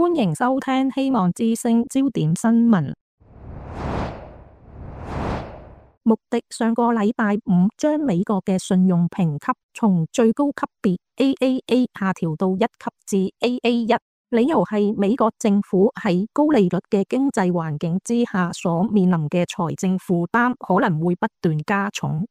歡迎收聽希望之聲焦點新聞。穆迪上個禮拜五將美國嘅信用評級從最高級別 AAA 下調到1級至 AA1，理由係美國政府喺高利率嘅經濟環境之下所面臨嘅財政負擔可能會不斷加重。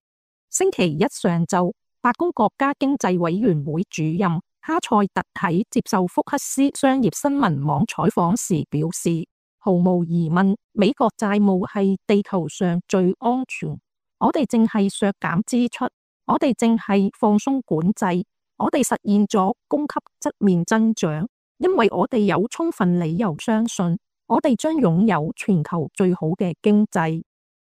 星期一上晝，白宮國家經濟委員會主任哈塞特喺接受福克斯商業新聞網採訪時表示，毫無疑問，美國債務係地球上最安全。我哋正係削減支出，我哋正係放鬆管制，我哋實現咗供給側面增長，因為我哋有充分理由相信，我哋將擁有全球最好嘅經濟。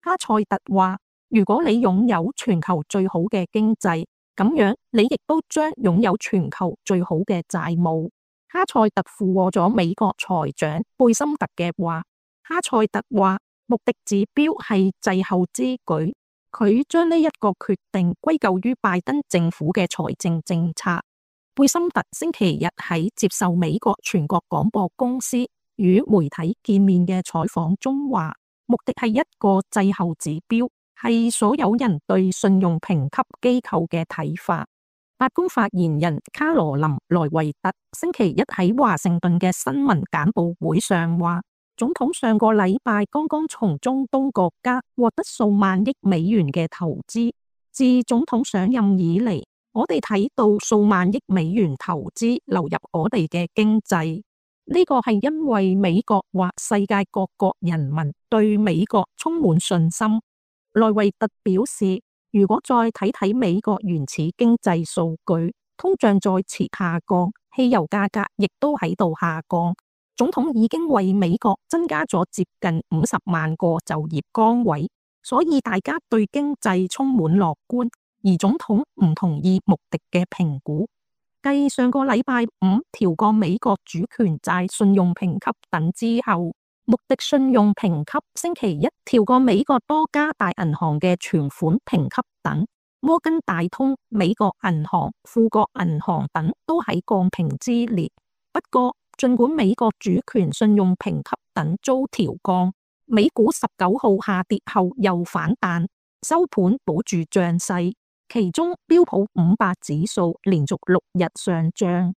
哈塞特話，如果你擁有全球最好嘅經濟，咁樣你亦都將擁有全球最好嘅債務。哈塞特附和咗美國財長貝森特嘅話。哈塞特話，穆迪指標係滯後之舉，佢將呢一個決定歸咎於拜登政府嘅財政政策。貝森特星期日喺接受美國全國廣播公司與媒體見面嘅採訪中話，穆迪係一個滯後指標，係所有人對信用評級機構嘅睇法。白宮發言人卡羅琳萊維特星期一喺華盛頓嘅新聞簡報會上話，總統上個禮拜剛剛從中東國家獲得數萬億美元嘅投資。自總統上任以嚟，我哋睇到數萬億美元投資流入我哋嘅經濟。呢個係因為美國或世界各國人民對美國充滿信心。萊維特表示，如果再睇睇美國原始經濟數據，通脹再次下降，汽油價格亦都喺度下降。總統已經為美國增加咗接近50萬個就業崗位，所以大家對經濟充滿樂觀。而總統唔同意穆迪嘅評估。繼上個禮拜五調降美國主權債信用評級等之後，穆迪信用評級星期一調降美國多家大銀行嘅存款評級等，摩根大通、美國銀行、富國銀行等都喺降評之列。不過，儘管美國主權信用評級等遭調降，美股19號下跌後又反彈，收盤保住漲勢。其中標普500指數連續6日上漲。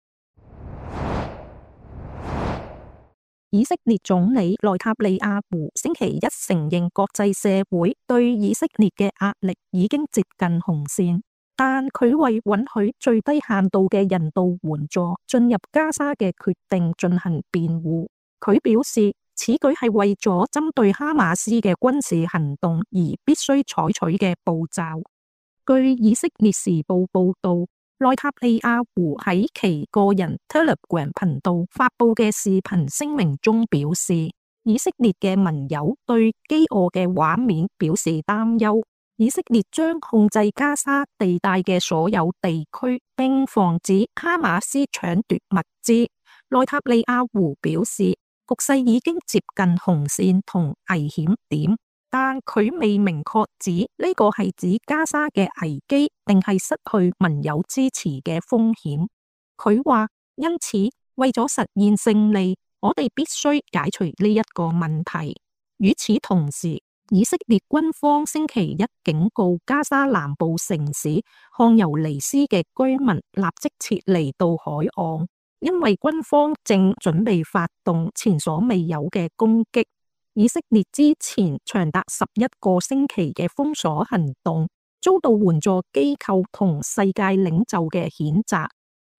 以色列總理內塔尼亞胡星期一承認國際社會對以色列嘅壓力已經接近紅線，但佢為允許最低限度嘅人道援助進入加沙嘅決定進行辯護。佢表示，此舉係為咗針對哈馬斯嘅軍事行動而必須採取嘅步驟。據以色列時報報道，內塔尼亞胡喺其個人 Telegram 頻道發佈嘅視頻聲明中表示，以色列嘅盟友對飢餓嘅畫面表示擔憂。以色列將控制加沙地帶嘅所有地區，並防止哈馬斯搶奪物資。內塔尼亞胡表示，局勢已經接近紅線同危險點。但佢未明確指呢個係指加沙嘅危機，定係失去盟友支持嘅風險。佢話，因此為咗實現勝利，我哋必須解除呢一個問題。與此同時，以色列軍方星期一警告加沙南部城市漢尤尼斯嘅居民立即撤離到海岸，因為軍方正準備發動前所未有嘅攻擊。以色列之前長達11個星期嘅封鎖行動，遭到援助機構同世界領袖嘅譴責。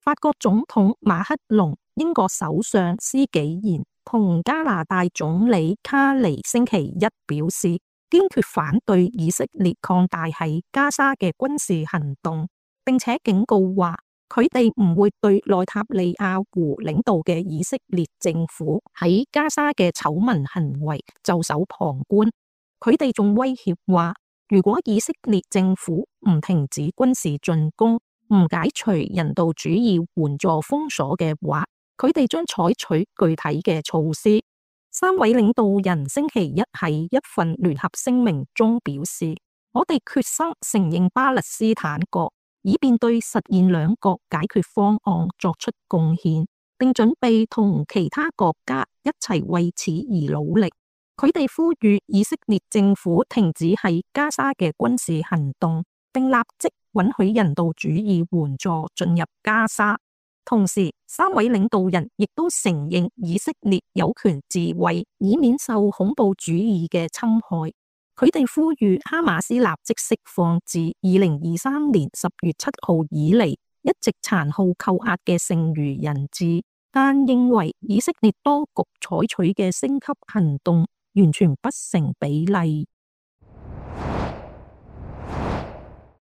法國總統馬克龍、英國首相施紀賢同加拿大總理卡尼星期一表示，堅決反對以色列擴大喺加沙嘅軍事行動，並且警告話，佢哋唔會對內塔尼亞胡領導嘅以色列政府喺加沙嘅醜聞行為袖手旁觀。佢哋仲威脅話，如果以色列政府唔停止軍事進攻，唔解除人道主義援助封鎖嘅話，佢哋將採取具體嘅措施。三位領導人星期一喺一份聯合聲明中表示，我哋決心承認巴勒斯坦國，以便對實現兩國解決方案作出貢獻。並準備同其他國家一齊為此而努力。佢哋呼籲以色列政府停止喺加沙嘅軍事行動，並立即允許人道主義援助進入加沙。同時，三位領導人亦都承認以色列有權自衛，以免受恐怖主義嘅侵害。佢哋呼籲哈馬斯立即釋放自2023年10月7號以嚟一直殘酷扣押嘅剩餘人質，但認為以色列當局採取嘅升級行動完全不成比例。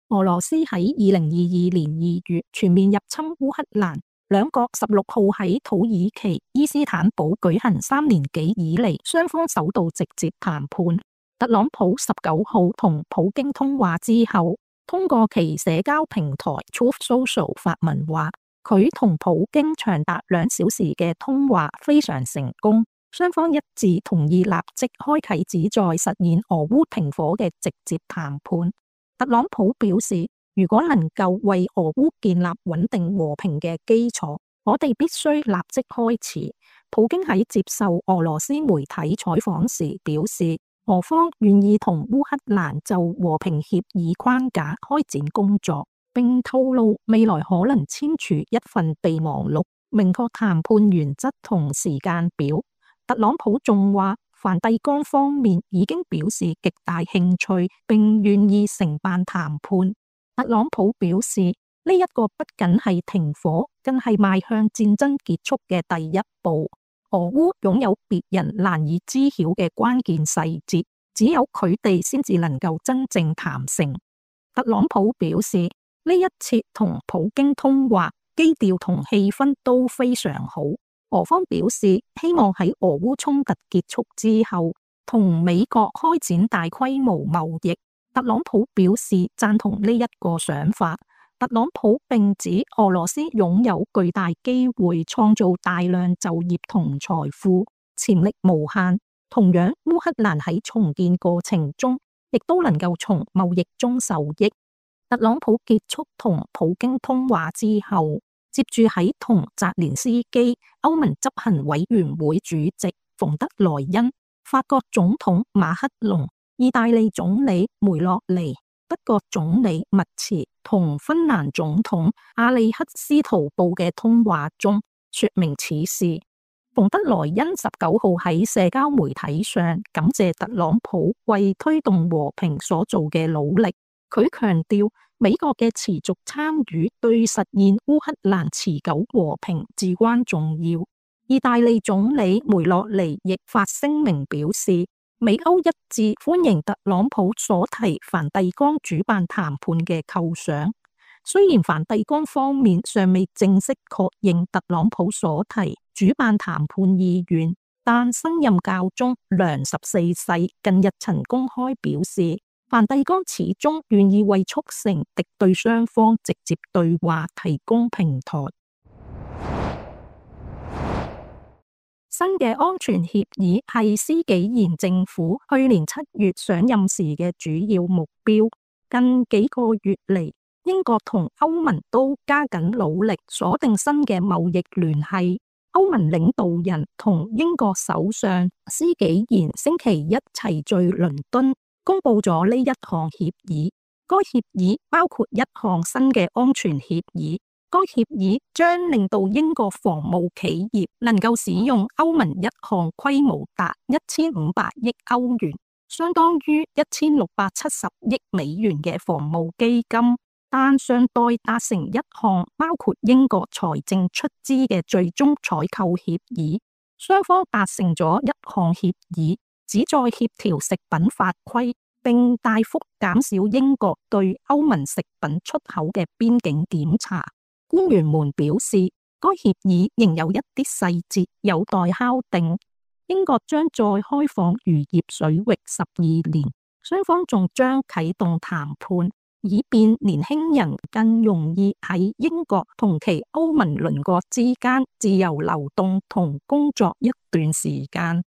俄羅斯喺2022年2月全面入侵烏克蘭，兩國16號喺土耳其伊斯坦堡舉行3年幾以嚟雙方首度直接談判。特朗普19號同普京通話之後，通過其社交平台 Truth Social 發文話，佢同普京長達2小時嘅通話非常成功，雙方一致同意立即開啟旨在實現俄烏停火嘅直接談判。特朗普表示，如果能夠為俄烏建立穩定和平嘅基礎，我哋必須立即開始。普京喺接受俄羅斯媒體採訪時表示，俄方願意同烏克蘭就和平協議框架開展工作，並透露未來可能簽署一份備忘錄，明確談判原則同時間表。特朗普仲話，梵蒂岡方面已經表示極大興趣，並願意承辦談判。特朗普表示，呢一個不僅係停火，更係邁向戰爭結束嘅第一步。俄烏擁有別人難以知曉嘅關鍵細節，只有佢哋先至能夠真正談成。特朗普表示，呢一次同普京通話，基調同氣氛都非常好。俄方表示希望喺俄烏衝突結束之後，同美國開展大規模貿易。特朗普表示贊同呢一個想法。特朗普並指俄羅斯擁有巨大機會創造大量就業同財富，潛力無限。同樣，烏克蘭喺重建過程中，亦都能夠從貿易中受益。特朗普結束同普京通話之後，接住喺同澤連斯基、歐盟執行委員會主席馮德萊恩、法國總統馬克龍、意大利總理梅洛尼、德國總理默茨同芬蘭總統阿里克斯圖布嘅通話中說明此事。馮德萊恩19號喺社交媒體上感謝特朗普為推動和平所做嘅努力。佢強調美國嘅持續參與對實現烏克蘭持久和平至關重要。意大利總理梅洛尼亦發聲明表示，美歐一致歡迎特朗普所提梵蒂岡主辦談判嘅構想。雖然梵蒂岡方面尚未正式確認特朗普所提主辦談判意願，但新任教宗良14世近日曾公開表示，梵蒂岡始終願意為促成敵對雙方直接對話提供平台。新嘅安全協議係施紀賢政府去年7月上任時嘅主要目標。近幾個月嚟，英國同歐盟都加緊努力鎖定新嘅貿易聯繫。歐盟領導人同英國首相施紀賢星期一齊聚倫敦，公布咗呢一項協議。該協議包括一項新嘅安全協議。該協議將令到英國防務企業能夠使用歐盟一項規模達1500億歐元，相當於1670億美元嘅防務基金，但尚待達成一項包括英國財政出資嘅最終採購協議。雙方達成咗一項協議，旨在協調食品法規，並大幅減少英國對歐盟食品出口嘅邊境檢查。官員們表示，該協議仍有一啲細節有待敲定。英國將再開放漁業水域12年，雙方仲將啟動談判，以便年輕人更容易喺英國同其歐盟鄰國之間自由流動同工作一段時間。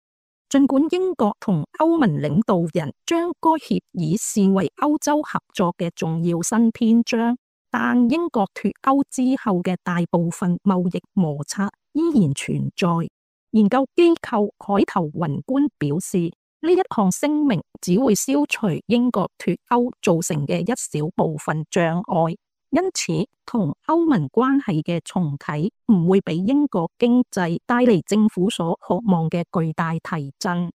儘管英國同歐盟領導人將該協議視為歐洲合作嘅重要新篇章，但英國脫歐之後嘅大部分貿易摩擦依然存在。研究機構海頭雲觀表示，呢一項聲明只會消除英國脫歐造成嘅一小部分障礙，因此同歐盟關係嘅重啟唔會俾英國經濟帶嚟政府所渴望嘅巨大提振。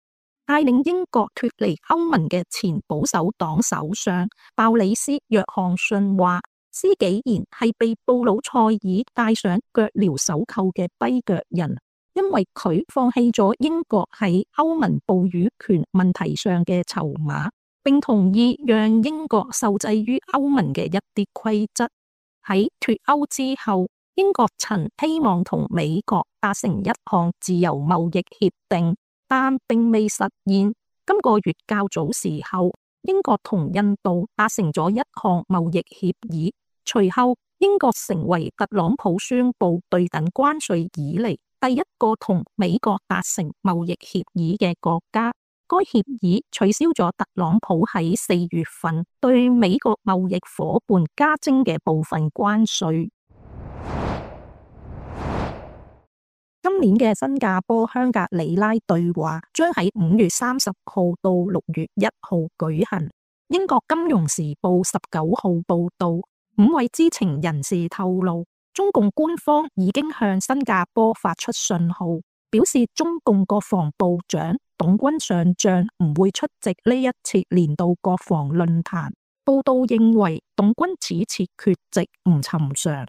帶領英國脫離歐盟嘅前保守黨首相鮑里斯·約翰遜話，施紀賢係被布魯塞爾戴上腳鐐手銬嘅跛腳人，因為佢放棄咗英國喺歐盟捕魚權問題上嘅籌碼，並同意讓英國受制於歐盟嘅一啲規則。喺脫歐之後，英國曾希望同美國達成一項自由貿易協定，但並未實現。今個月較早時候，英國同印度達成咗一項貿易協議，隨後英國成為特朗普宣布對等關稅以嚟第一個同美國達成貿易協議嘅國家。該協議取消咗特朗普喺4月份對美國貿易夥伴加徵嘅部分關稅。今年嘅新加坡香格里拉對話將喺5月30號到6月1號舉行。英國金融時報19號報道，5位知情人士透露，中共官方已經向新加坡發出信號，表示中共國防部長董軍上將唔會出席呢一次年度國防論壇。報道認為，董軍此次缺席唔尋常。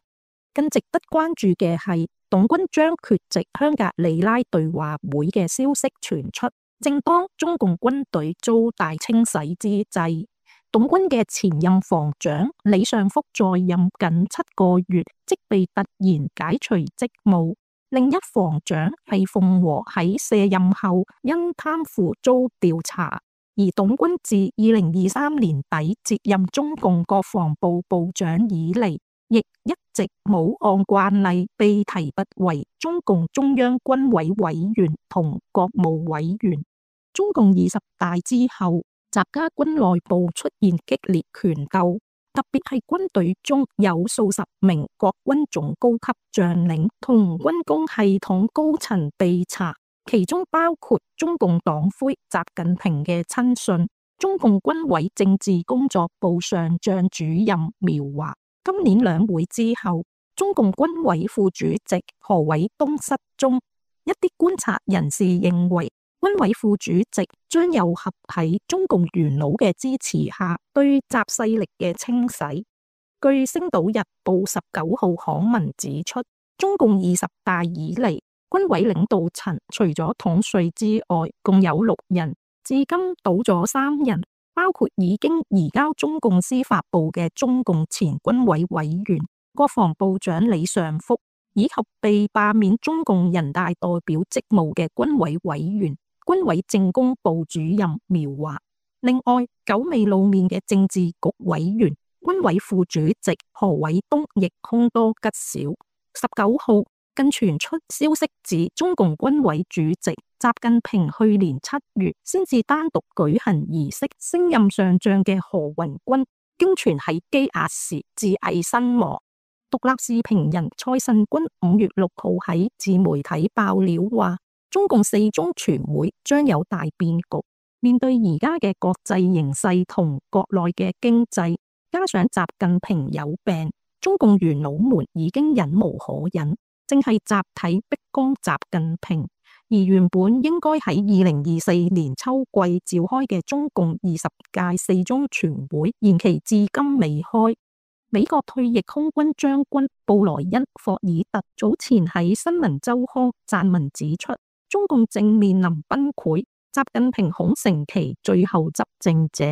更值得關注嘅係，董軍將缺席香格里拉對話會嘅消息傳出，正當中共軍隊遭大清洗之際。董軍嘅前任防長李尚福在任僅7個月，即被突然解除職務。另一防長係鳳和喺卸任後因貪腐遭調查，而董軍自2023年底接任中共國防部部長以嚟，亦一直冇按慣例被提拔為中共中央軍委委員同國務委員。中共20大之後，習家軍內部出現激烈權鬥，特別係軍隊中有數十名國軍總高級將領同軍工系統高層被查，其中包括中共黨魁習近平嘅親信、中共軍委政治工作部上將主任苗華。今年兩會之後，中共軍委副主席何偉東失蹤，一啲觀察人士認為，軍委副主席將又合喺中共元老嘅支持下對習勢力嘅清洗。據星島日報19號刊文指出，中共20大以嚟，軍委領導層除咗統帥之外，共有6人，至今倒咗3人，包括已經移交中共司法部嘅中共前軍委委員、國防部長李尚福，以及被罷免中共人大代表職務嘅軍委委員、軍委政工部主任苗華。另外，久未露面嘅政治局委員、軍委副主席何偉東亦凶多吉少。19號更傳出消息指，中共軍委主席習近平去年7月先至單獨舉行儀式升任上將嘅何雲軍，經傳喺羈押時自縊身亡。獨立視評人蔡慎君5月6號喺自媒體爆料話，中共4中全會將有大變局。面對而家嘅國際形勢同國內嘅經濟，加上習近平有病，中共元老們已經忍無可忍，正係集體逼宮習近平。而原本應該喺2024年秋季召開嘅中共20屆4中全會延期至今未開。美國退役空軍將軍布萊恩·霍爾特早前喺新聞週刊撰文指出，中共正面臨崩潰，習近平恐成其最後執政者。